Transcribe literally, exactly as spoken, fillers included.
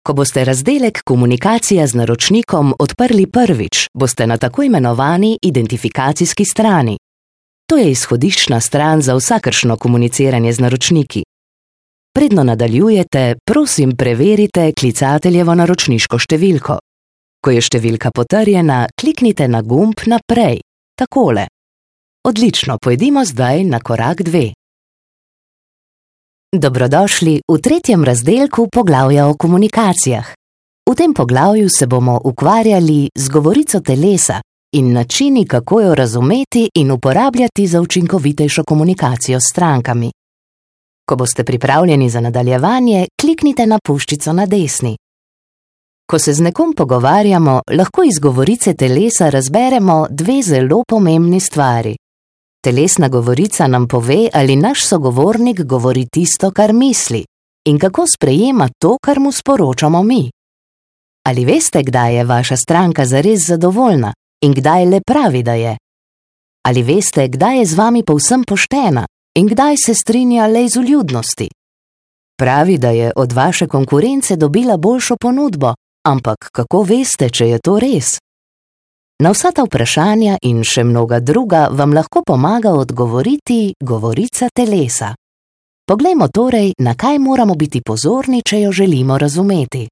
Ko boste razdelek Komunikacija z naročnikom odprli prvič, boste na tako imenovani identifikacijski strani. To je izhodiščna stran za vsakršno komuniciranje z naročniki. Predno nadaljujete, prosim preverite klicateljevo naročniško številko. Ko je številka potrjena, kliknite na gumb Naprej, takole. Odlično, pojdimo zdaj na korak dve. Dobrodošli v tretjem razdelku poglavja o komunikacijah. V tem poglavju se bomo ukvarjali z govorico telesa in načini, kako jo razumeti in uporabljati za učinkovitejšo komunikacijo s strankami. Ko boste pripravljeni za nadaljevanje, kliknite na puščico na desni. Ko se z nekom pogovarjamo, lahko iz govorice telesa razberemo dve zelo pomembni stvari. Telesna govorica nam pove, ali naš sogovornik govori tisto, kar misli, in kako sprejema to, kar mu sporočamo mi. Ali veste, kdaj je vaša stranka zares zadovoljna in kdaj le pravi, da je? Ali veste, kdaj je z vami povsem poštena in kdaj se strinja le iz vljudnosti? Pravi, da je od vaše konkurence dobila boljšo ponudbo, ampak kako veste, če je to res? Na vsa ta vprašanja in še mnoga druga vam lahko pomaga odgovoriti govorica telesa. Poglejmo torej, na kaj moramo biti pozorni, če jo želimo razumeti.